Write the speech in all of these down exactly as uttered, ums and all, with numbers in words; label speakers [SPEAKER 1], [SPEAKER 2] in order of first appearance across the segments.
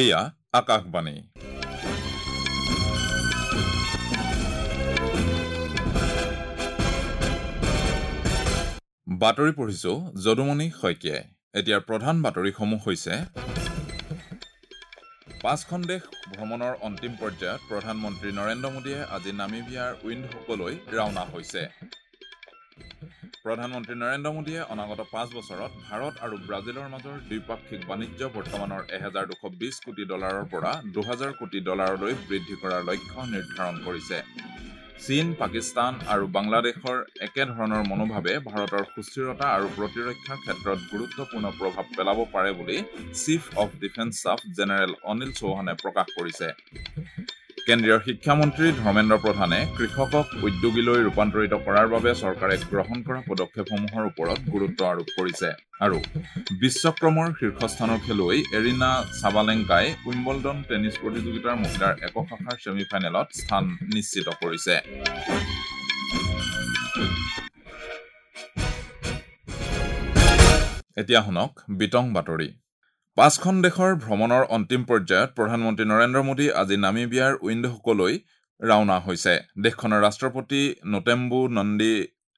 [SPEAKER 1] এয়া আকাশবাণী। বাতৰি পঢ়িছো যদুমণি শইকীয়াই। এতিয়াৰ প্ৰধান বাতৰিসমূহ হৈছে: পাঁচখন দেশ ভ্ৰমণৰ অন্তিম পৰ্যায়ত প্ৰধানমন্ত্ৰী নৰেন্দ্ৰ মোদীয়ে আজি নামিবিয়াৰ উইণ্ডহুকলৈ ৰাওনা হৈছে। প্ৰধানমন্ত্ৰী নৰেন্দ্ৰ মোদীয়ে অনাগত পাঁচ বছৰত ভাৰত আৰু ব্ৰাজিলৰ মাজৰ দ্বিপাক্ষিক বাণিজ্য বৰ্তমানৰ এহেজাৰ দুশ বিশ কোটি ডলাৰৰ পৰা দুহাজাৰ কোটি ডলাৰলৈ বৃদ্ধি কৰাৰ লক্ষ্য নিৰ্ধাৰণ কৰিছে। চীন, পাকিস্তান আৰু বাংলাদেশৰ একেধৰণৰ মনোভাৱে ভাৰতৰ সুস্থিৰতা আৰু প্ৰতিৰক্ষাৰ ক্ষেত্ৰত গুৰুত্বপূৰ্ণ প্ৰভাৱ পেলাব পাৰে বুলি chief of defence staff general Anil চৌহানে প্ৰকাশ কৰিছে। কেন্দ্ৰীয় শিক্ষামন্ত্ৰী ধৰ্মেন্দ্ৰ প্ৰধানে কৃষকক উদ্যোগীলৈ ৰূপান্তৰিত কৰাৰ বাবে চৰকাৰে গ্ৰহণ কৰা পদক্ষেপসমূহৰ ওপৰত গুৰুত্ব আৰোপ কৰিছে। আৰু বিশ্বক্ৰমৰ শীৰ্ষস্থানৰ খেলুৱৈ এৰিনা চাবালেংকাই উইম্বলডন টেনিছ প্ৰতিযোগিতাৰ মহিলাৰ একক শাখাৰ ছেমি ফাইনেলত স্থান নিশ্চিত কৰিছে। এতিয়া শুনক বিতং বাতৰি। পাঁচখন দেশৰ ভ্ৰমণৰ অন্তিম পৰ্যায়ত প্ৰধানমন্ত্ৰী নৰেন্দ্ৰ মোদী আজি নামিবিয়াৰ উইণ্ডহুকলৈ ৰাওনা হৈছে। দেশখনৰ ৰাষ্ট্ৰপতি নোটেম্বু নন্দী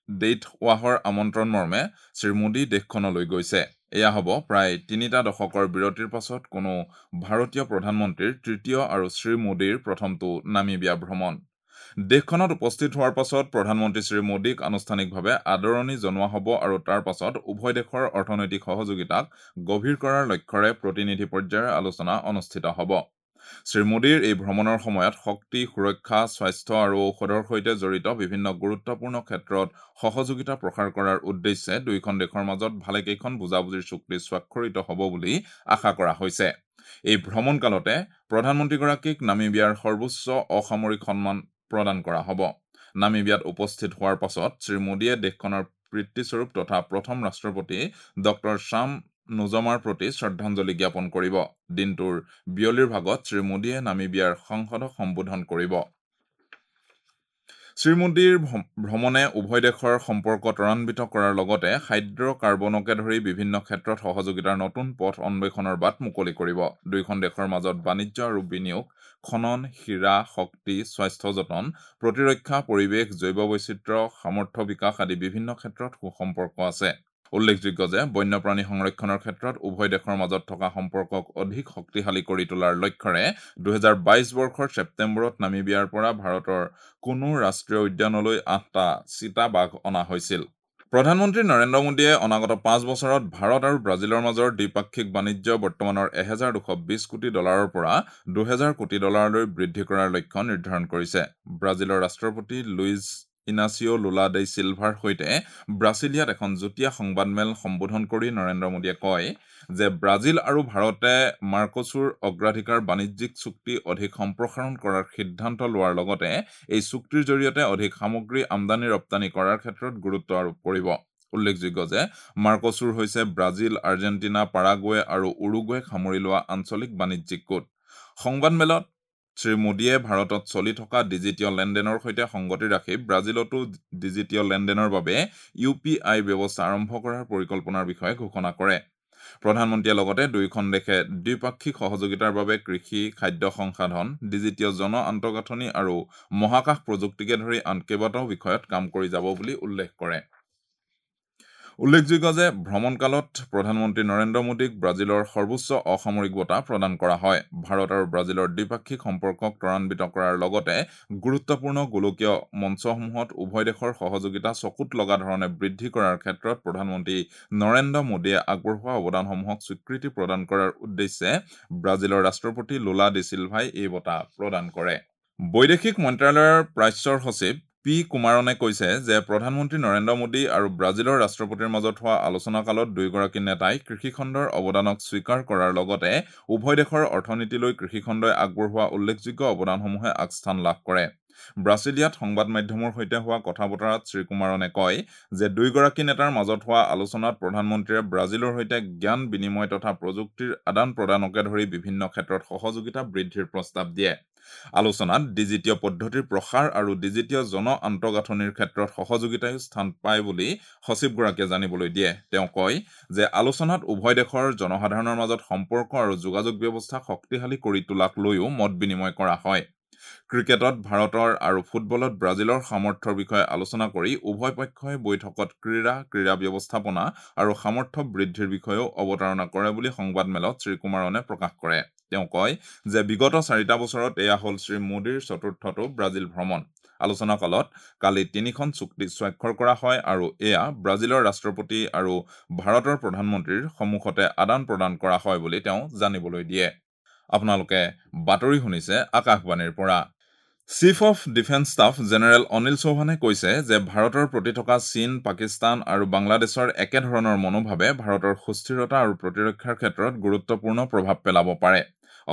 [SPEAKER 1] ডেইটৱাহৰ আমন্ত্ৰণ মৰ্মে শ্ৰীমোদী দেশখনলৈ গৈছে। এয়া হ'ব প্ৰায় তিনিটা দশকৰ বিৰতিৰ পাছত কোনো ভাৰতীয় প্ৰধানমন্ত্ৰীৰ তৃতীয় আৰু শ্ৰীমোদীৰ প্ৰথমটো নামিবিয়া ভ্ৰমণ। দেশখনত উপস্থিত হোৱাৰ পাছত প্ৰধানমন্ত্ৰী শ্ৰীমোদীক আনুষ্ঠানিকভাৱে আদৰণি জনোৱা হ'ব আৰু তাৰ পাছত উভয় দেশৰ অৰ্থনৈতিক সহযোগিতাক গভীৰ কৰাৰ লক্ষ্যৰে প্ৰতিনিধি পৰ্যায়ৰ আলোচনা অনুষ্ঠিত হ'ব। শ্ৰীমোদীৰ এই ভ্ৰমণৰ সময়ত শক্তি, সুৰক্ষা, স্বাস্থ্য আৰু ঔষধৰ সৈতে জড়িত বিভিন্ন গুৰুত্বপূৰ্ণ ক্ষেত্ৰত সহযোগিতা প্ৰসাৰ কৰাৰ উদ্দেশ্যে দুয়োখন দেশৰ মাজত ভালেকেইখন বুজাবুজিৰ চুক্তি স্বাক্ষৰিত হ'ব বুলি আশা কৰা হৈছে। এই ভ্ৰমণকালতে প্ৰধানমন্ত্ৰীগৰাকীক নামিবিয়াৰ সৰ্বোচ্চ অসামৰিক সন্মান প্ৰদান কৰা হ'ব। নামিবিয়াত উপস্থিত হোৱাৰ পাছত শ্ৰীমোদীয়ে দেশখনৰ পিতৃস্বৰূপ তথা প্ৰথম ৰাষ্ট্ৰপতি ডক্টৰ শ্যাম নুজমাৰ প্ৰতি শ্ৰদ্ধাঞ্জলি জ্ঞাপন কৰিব। দিনটোৰ বিয়লিৰ ভাগত শ্ৰীমোদীয়ে নামিবিয়াৰ সংসদক সম্বোধন কৰিব। শ্ৰীমোদীৰ ভ্ৰমণে উভয় দেশৰ সম্পৰ্ক ত্বৰান্বিত কৰাৰ লগতে হাইড্ৰ'কাৰ্বনকে ধৰি বিভিন্ন ক্ষেত্ৰত সহযোগিতাৰ নতুন পথ অন্বেষণৰ বাট মুকলি কৰিব। দুয়োখন দেশৰ মাজত বাণিজ্য আৰু বিনিয়োগ, খনন, হীৰা, শক্তি, স্বাস্থ্য যতন, প্ৰতিৰক্ষা, পৰিৱেশ, জৈৱ বৈচিত্ৰ্য, সামৰ্থ্য বিকাশ আদি বিভিন্ন ক্ষেত্ৰত সুসম্পৰ্ক আছে। উল্লেখযোগ্য যে বন্যপ্ৰাণী সংৰক্ষণৰ ক্ষেত্ৰত উভয় দেশৰ মাজত থকা সম্পৰ্কক অধিক শক্তিশালী কৰি তোলাৰ লক্ষ্যৰে দুহেজাৰ বাইছ বৰ্ষৰ ছেপ্টেম্বৰত নামিবিয়াৰ পৰা ভাৰতৰ কোনো ৰাষ্ট্ৰীয় উদ্যানলৈ আঠটা চিতাবাঘ অনা হৈছিল। প্ৰধানমন্ত্ৰী নৰেন্দ্ৰ মোদীয়ে অনাগত পাঁচ বছৰত ভাৰত আৰু ব্ৰাজিলৰ মাজৰ দ্বিপাক্ষিক বাণিজ্য বৰ্তমানৰ এহেজাৰ দুশ বিশ কোটি ডলাৰৰ পৰা দুহেজাৰ কোটি ডলাৰলৈ বৃদ্ধি কৰাৰ লক্ষ্য নিৰ্ধাৰণ কৰিছে। ব্ৰাজিলৰ ৰাষ্ট্ৰপতি Luiz Inacio' Lula da Silva সৈতে ব্ৰাছিলিয়াত এখন যুটীয়া সংবাদমেল সম্বোধন কৰি নৰেন্দ্ৰ মোদীয়ে কয় যে ব্ৰাজিল আৰু ভাৰতে মাৰ্কোছুৰ অগ্ৰাধিকাৰ বাণিজ্যিক চুক্তি অধিক সম্প্ৰসাৰণ কৰাৰ সিদ্ধান্ত লোৱাৰ লগতে এই চুক্তিৰ জৰিয়তে অধিক সামগ্ৰী আমদানি ৰপ্তানি কৰাৰ ক্ষেত্ৰত গুৰুত্ব আৰোপ কৰিব। উল্লেখযোগ্য যে মাৰ্কোছুৰ হৈছে ব্ৰাজিল, আৰ্জেণ্টিনা, পাৰাগুৱে আৰু উৰুগুৱেক সামৰি লোৱা আঞ্চলিক বাণিজ্যিক গোট। সংবাদমেলত শ্ৰীমোদীয়ে ভাৰতত চলি থকা ডিজিটীয় লেনদেনৰ সৈতে সংগতি ৰাখি ব্ৰাজিলতো ডিজিটীয় লেনদেনৰ বাবে ইউ পি আই ব্যৱস্থা আৰম্ভ কৰাৰ পৰিকল্পনাৰ বিষয়ে ঘোষণা কৰে। প্ৰধানমন্ত্ৰীয়ে লগতে দুয়োখন দেশে দ্বিপাক্ষিক সহযোগিতাৰ বাবে কৃষি, খাদ্য সংসাধন, ডিজিটীয় জন আন্তঃগাঁথনি আৰু মহাকাশ প্ৰযুক্তিকে ধৰি আন কেইবাটাও বিষয়ত কাম কৰি যাব বুলি উল্লেখ কৰে। উল্লেখযোগ্য যে ভ্ৰমণকালত প্ৰধানমন্ত্ৰী নৰেন্দ্ৰ মোদীক ব্ৰাজিলৰ সৰ্বোচ্চ অসামৰিক বঁটা প্ৰদান কৰা হয়। ভাৰত আৰু ব্ৰাজিলৰ দ্বিপাক্ষিক সম্পৰ্কক ত্বৰান্বিত কৰাৰ লগতে গুৰুত্বপূৰ্ণ গোলকীয় মঞ্চসমূহত উভয় দেশৰ সহযোগিতা চকুত লগা ধৰণে বৃদ্ধি কৰাৰ ক্ষেত্ৰত প্ৰধানমন্ত্ৰী নৰেন্দ্ৰ মোদীয়ে আগবঢ়োৱা অৱদানসমূহক স্বীকৃতি প্ৰদান কৰাৰ উদ্দেশ্যে ব্ৰাজিলৰ ৰাষ্ট্ৰপতি লুলা ডি চিলভাই এই বঁটা প্ৰদান কৰে। বৈদেশিক মন্ত্ৰালয়ৰ প্ৰাচ্যৰ সচিব পি কুমাৰণে কৈছে যে প্ৰধানমন্ত্ৰী নৰেন্দ্ৰ মোদী আৰু ব্ৰাজিলৰ ৰাষ্ট্ৰপতিৰ মাজত হোৱা আলোচনাকালত দুয়োগৰাকী নেতাই কৃষিখণ্ডৰ অৱদানক স্বীকাৰ কৰাৰ লগতে উভয় দেশৰ অৰ্থনীতিলৈ কৃষিখণ্ডই আগবঢ়োৱা উল্লেখযোগ্য অৱদানসমূহে আগস্থান লাভ কৰে। ব্ৰাছিলিয়াত সংবাদ মাধ্যমৰ সৈতে হোৱা কথা বতৰাত শ্ৰীকুমাৰণে কয় যে দুয়োগৰাকী নেতাৰ মাজত হোৱা আলোচনাত প্ৰধানমন্ত্ৰীয়ে ব্ৰাজিলৰ সৈতে জ্ঞান বিনিময় তথা প্ৰযুক্তিৰ আদান প্ৰদানকে ধৰি বিভিন্ন ক্ষেত্ৰত সহযোগিতা বৃদ্ধিৰ প্ৰস্তাৱ দিয়ে। আলোচনাত ডিজিটীয় পদ্ধতিৰ প্ৰসাৰ আৰু ডিজিটীয় জন আন্তঃগাঁথনিৰ ক্ষেত্ৰত সহযোগিতায়ো স্থান পায় বুলি সচিবগৰাকীয়ে জানিবলৈ দিয়ে। তেওঁ কয় যে আলোচনাত উভয় দেশৰ জনসাধাৰণৰ মাজত সম্পৰ্ক আৰু যোগাযোগ ব্যৱস্থা শক্তিশালী কৰি তোলাক লৈও মত বিনিময় কৰা হয়। ক্ৰিকেটত ভাৰতৰ আৰু ফুটবলত ব্ৰাজিলৰ সামৰ্থ্যৰ বিষয়ে আলোচনা কৰি উভয় পক্ষই বৈঠকত ক্ৰীড়া, ক্ৰীড়া ব্যৱস্থাপনা আৰু সামৰ্থ্য বৃদ্ধিৰ বিষয়েও অৱতাৰণা কৰে বুলি সংবাদমেলত শ্ৰীকুমাৰণে প্ৰকাশ কৰে। তেওঁ কয় যে বিগত চাৰিটা বছৰত এয়া হ'ল শ্ৰীমোদীৰ চতুৰ্থটো ব্ৰাজিল ভ্ৰমণ। আলোচনাকালত কালি তিনিখন চুক্তি স্বাক্ষৰ কৰা হয় আৰু এয়া ব্ৰাজিলৰ ৰাষ্ট্ৰপতি আৰু ভাৰতৰ প্ৰধানমন্ত্ৰীৰ সন্মুখতে আদান প্ৰদান কৰা হয় বুলি তেওঁ জানিবলৈ দিয়ে। আপোনালোকে বাতৰি শুনিছে আকাশবাণীৰ পৰা। Chief of defence staff general Anil চৌহানে কৈছে যে ভাৰতৰ প্ৰতি থকা চীন, পাকিস্তান আৰু বাংলাদেশৰ একেধৰণৰ মনোভাৱে ভাৰতৰ সুস্থিৰতা আৰু প্ৰতিৰক্ষাৰ ক্ষেত্ৰত গুৰুত্বপূৰ্ণ প্ৰভাৱ পেলাব পাৰে।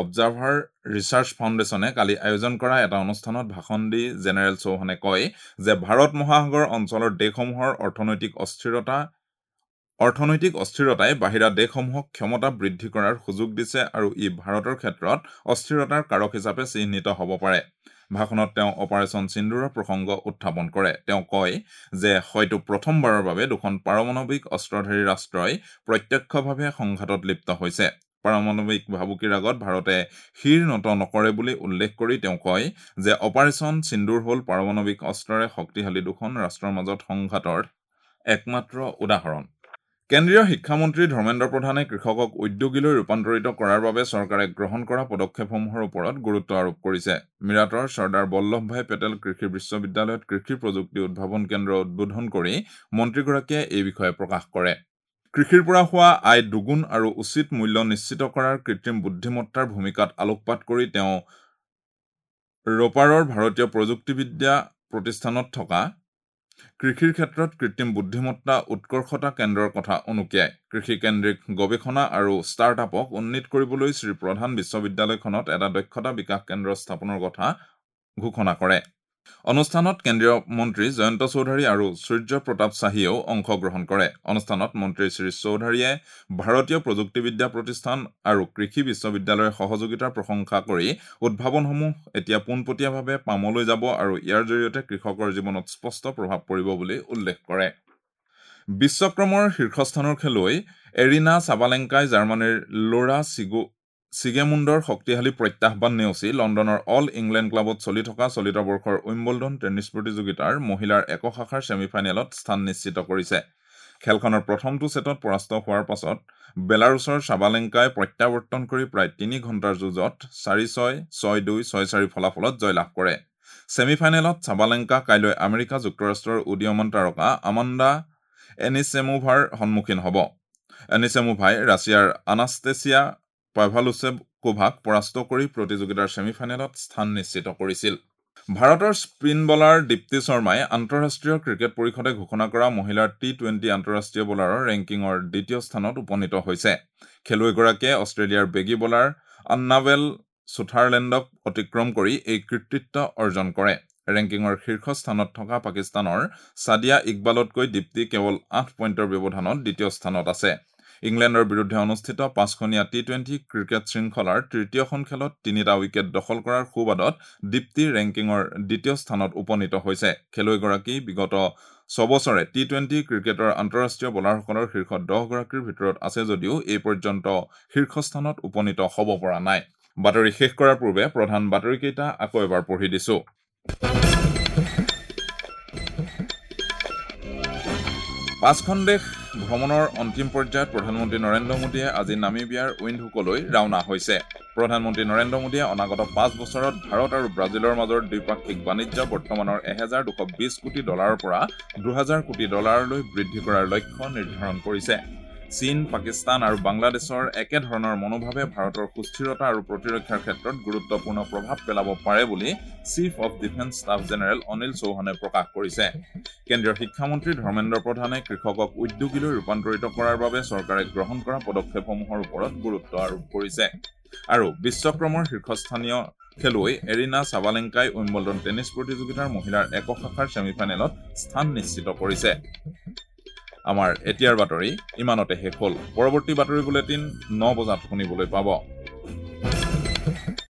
[SPEAKER 1] অবজাৰ্ভাৰ ৰিচাৰ্চ ফাউণ্ডেশ্যনে কালি আয়োজন কৰা এটা অনুষ্ঠানত ভাষণ দি জেনেৰেল চৌহানে কয় যে ভাৰত মহাসাগৰ অঞ্চলৰ দেশসমূহৰ অৰ্থনৈতিক অস্থিৰতা অৰ্থনৈতিক অস্থিৰতাই বাহিৰা দেশসমূহক ক্ষমতা বৃদ্ধি কৰাৰ সুযোগ দিছে আৰু ই ভাৰতৰ ক্ষেত্ৰত অস্থিৰতাৰ কাৰক হিচাপে চিহ্নিত হ'ব পাৰে। ভাষণত তেওঁ অপাৰেশ্যন সিন্দুৰৰ প্ৰসংগ উত্থাপন কৰে। তেওঁ কয় যে হয়তো প্ৰথমবাৰৰ বাবে দুখন পাৰমাণৱিক অস্ত্ৰধাৰী ৰাষ্ট্ৰই প্ৰত্যক্ষভাৱে সংঘাতত লিপ্ত হৈছে। পাৰমাণৱিক ভাবুকিৰ আগত ভাৰতে শিৰ নত নকৰে বুলি উল্লেখ কৰি তেওঁ কয় যে অপাৰেশ্যন সিন্দুৰ হ'ল পাৰমাণৱিক অস্ত্ৰৰে শক্তিশালী দুখন ৰাষ্ট্ৰৰ মাজত সংঘাতৰ একমাত্ৰ উদাহৰণ। কেন্দ্ৰীয় শিক্ষামন্ত্ৰী ধৰ্মেন্দ্ৰ প্ৰধানে কৃষকক উদ্যোগীলৈ ৰূপান্তৰিত কৰাৰ বাবে চৰকাৰে গ্ৰহণ কৰা পদক্ষেপসমূহৰ ওপৰত গুৰুত্ব আৰোপ কৰিছে। মিৰাটৰ চৰ্দাৰ বল্লভভাই পেটেল কৃষি বিশ্ববিদ্যালয়ত কৃষি প্ৰযুক্তি উদ্ভাৱন কেন্দ্ৰ উদ্বোধন কৰি মন্ত্ৰীগৰাকীয়ে এই বিষয়ে প্ৰকাশ কৰে। কৃষিৰ পৰা হোৱা আয় দুগুণ আৰু উচিত মূল্য নিশ্চিত কৰাৰ কৃত্ৰিম বুদ্ধিমত্তাৰ ভূমিকাত আলোকপাত কৰি তেওঁ ৰোপাৰৰ ভাৰতীয় প্ৰযুক্তিবিদ্যা প্ৰতিষ্ঠানত থকা কৃষিৰ ক্ষেত্ৰত কৃত্ৰিম বুদ্ধিমত্তা উৎকৰ্ষতা কেন্দ্ৰৰ কথা উনুকিয়ায়। কৃষিকেন্দ্ৰিক গৱেষণা আৰু ষ্টাৰ্টআপক উন্নীত কৰিবলৈ শ্ৰীপ্ৰধান বিশ্ববিদ্যালয়খনত এটা দক্ষতা বিকাশ কেন্দ্ৰ স্থাপনৰ কথা ঘোষণা কৰে। অনুষ্ঠানত কেন্দ্ৰীয় মন্ত্ৰী জয়ন্ত চৌধাৰী আৰু সূৰ্য প্ৰতাপ শ্বাহীয়েও অংশগ্ৰহণ কৰে। অনুষ্ঠানত মন্ত্ৰী শ্ৰী চৌধাৰীয়ে ভাৰতীয় প্ৰযুক্তিবিদ্যা প্ৰতিষ্ঠান আৰু কৃষি বিশ্ববিদ্যালয়ৰ সহযোগিতাৰ প্ৰশংসা কৰি উদ্ভাৱনসমূহ এতিয়া পোনপটীয়াভাৱে পামলৈ যাব আৰু ইয়াৰ জৰিয়তে কৃষকৰ জীৱনত স্পষ্ট প্ৰভাৱ পৰিব বুলি উল্লেখ কৰে। বিশ্বক্ৰমৰ শীৰ্ষস্থানৰ খেলুৱৈ এৰিনা চাবালেংকাই জাৰ্মানীৰ লোৰা চিগু চিগেমুণ্ডৰ শক্তিশালী প্ৰত্যাহ্বান নেওচি লণ্ডনৰ অল ইংলেণ্ড ক্লাবত চলি থকা চলিত বৰ্ষৰ উইম্বলডন টেনিছ প্ৰতিযোগিতাৰ মহিলাৰ একক শাখাৰ ছেমিফাইনেলত স্থান নিশ্চিত কৰিছে। খেলখনৰ প্ৰথমটো ছেটত পৰাস্ত হোৱাৰ পাছত বেলাৰুছৰ চাবালেংকাই প্ৰত্যাৱৰ্তন কৰি প্ৰায় তিনি ঘণ্টাৰ যুঁজত চাৰি ছয়, ছয় দুই, ছয় চাৰি ফলাফলত জয়লাভ কৰে। ছেমিফাইনেলত চাবালেংকা কাইলৈ আমেৰিকা যুক্তৰাষ্ট্ৰৰ উদীয়মান তাৰকা আমাণ্ডা এনিছেমোভাৰ সন্মুখীন হ'ব। এনিছেমোভাই ৰাছিয়াৰ আনাষ্টেছিয়া পাভালুচেকোভাক পৰাস্ত কৰি প্ৰতিযোগিতাৰ ছেমিফাইনেলত স্থান নিশ্চিত কৰিছিল। ভাৰতৰ স্পিন বলাৰ দীপ্তি শৰ্মাই আন্তঃৰাষ্ট্ৰীয় ক্ৰিকেট পৰিষদে ঘোষণা কৰা মহিলাৰ টি টুৱেণ্টি আন্তঃৰাষ্ট্ৰীয় বলাৰৰ ৰেংকিঙৰ দ্বিতীয় স্থানত উপনীত হৈছে। খেলুৱৈগৰাকীয়ে অষ্ট্ৰেলিয়াৰ বেগী বলাৰ আন্নাবেল ছুথাৰলেণ্ডক অতিক্ৰম কৰি এই কৃতিত্ব অৰ্জন কৰে। ৰেংকিঙৰ শীৰ্ষ স্থানত থকা পাকিস্তানৰ ছাদিয়া ইকবালতকৈ দীপ্তি কেৱল আঠ পইণ্টৰ ব্যৱধানত দ্বিতীয় স্থানত আছে। ইংলেণ্ডৰ বিৰুদ্ধে অনুষ্ঠিত পাঁচখনীয়া টি টুৱেণ্টি ক্ৰিকেট শৃংখলাৰ তৃতীয়খন খেলত তিনিটা উইকেট দখল কৰাৰ সুবাদত দীপ্তি ৰেংকিঙৰ দ্বিতীয় স্থানত উপনীত হৈছে। খেলুৱৈগৰাকী বিগত ছবছৰে টি টুৱেণ্টি ক্ৰিকেটৰ আন্তঃৰাষ্ট্ৰীয় বলাৰসকলৰ শীৰ্ষ দহগৰাকীৰ ভিতৰত আছে যদিও এই পৰ্যন্ত শীৰ্ষস্থানত উপনীত হ'ব পৰা নাই। বাতৰি শেষ কৰাৰ পূৰ্বে প্ৰধান বাতৰিকেইটা আকৌ এবাৰ পঢ়ি দিছো। পাঁচখন দেশ ভ্ৰমণৰ অন্তিম পৰ্যায়ত প্ৰধানমন্ত্ৰী নৰেন্দ্ৰ মোদীয়ে আজি নামিবিয়াৰ উইণ্ডহুকলৈ ৰাওনা হৈছে। প্ৰধানমন্ত্ৰী নৰেন্দ্ৰ মোদীয়ে অনাগত পাঁচ বছৰত ভাৰত আৰু ব্ৰাজিলৰ মাজৰ দ্বিপাক্ষিক বাণিজ্য বৰ্তমানৰ এহেজাৰ দুশ বিশ কোটি ডলাৰৰ পৰা দুহেজাৰ কোটি ডলাৰলৈ বৃদ্ধি কৰাৰ লক্ষ্য নিৰ্ধাৰণ কৰিছে। চীন, পাকিস্তান আৰু বাংলাদেশৰ একেধৰণৰ মনোভাৱে ভাৰতৰ সুস্থিৰতা আৰু প্ৰতিৰক্ষাৰ ক্ষেত্ৰত গুৰুত্বপূৰ্ণ প্ৰভাৱ পেলাব পাৰে বুলি chief of defence staff general Anil চৌহানে প্ৰকাশ কৰিছে। কেন্দ্ৰীয় শিক্ষামন্ত্ৰী ধৰ্মেন্দ্ৰ প্ৰধানে কৃষকক উদ্যোগীলৈ ৰূপান্তৰিত কৰাৰ বাবে চৰকাৰে গ্ৰহণ কৰা পদক্ষেপসমূহৰ ওপৰত গুৰুত্ব আৰোপ কৰিছে। আৰু বিশ্বক্ৰমৰ শীৰ্ষস্থানীয় খেলুৱৈ এৰিনা চাবালেংকাই উইম্বলডন টেনিছ প্ৰতিযোগিতাৰ মহিলাৰ একক শাখাৰ ছেমি ফাইনেলত স্থান নিশ্চিত কৰিছে। আমাৰ এতিয়াৰ বাতৰি ইমানতে শেষ হ'ল। পৰৱৰ্তী বাতৰি বুলেটিন ন বজাত শুনিবলৈ পাব।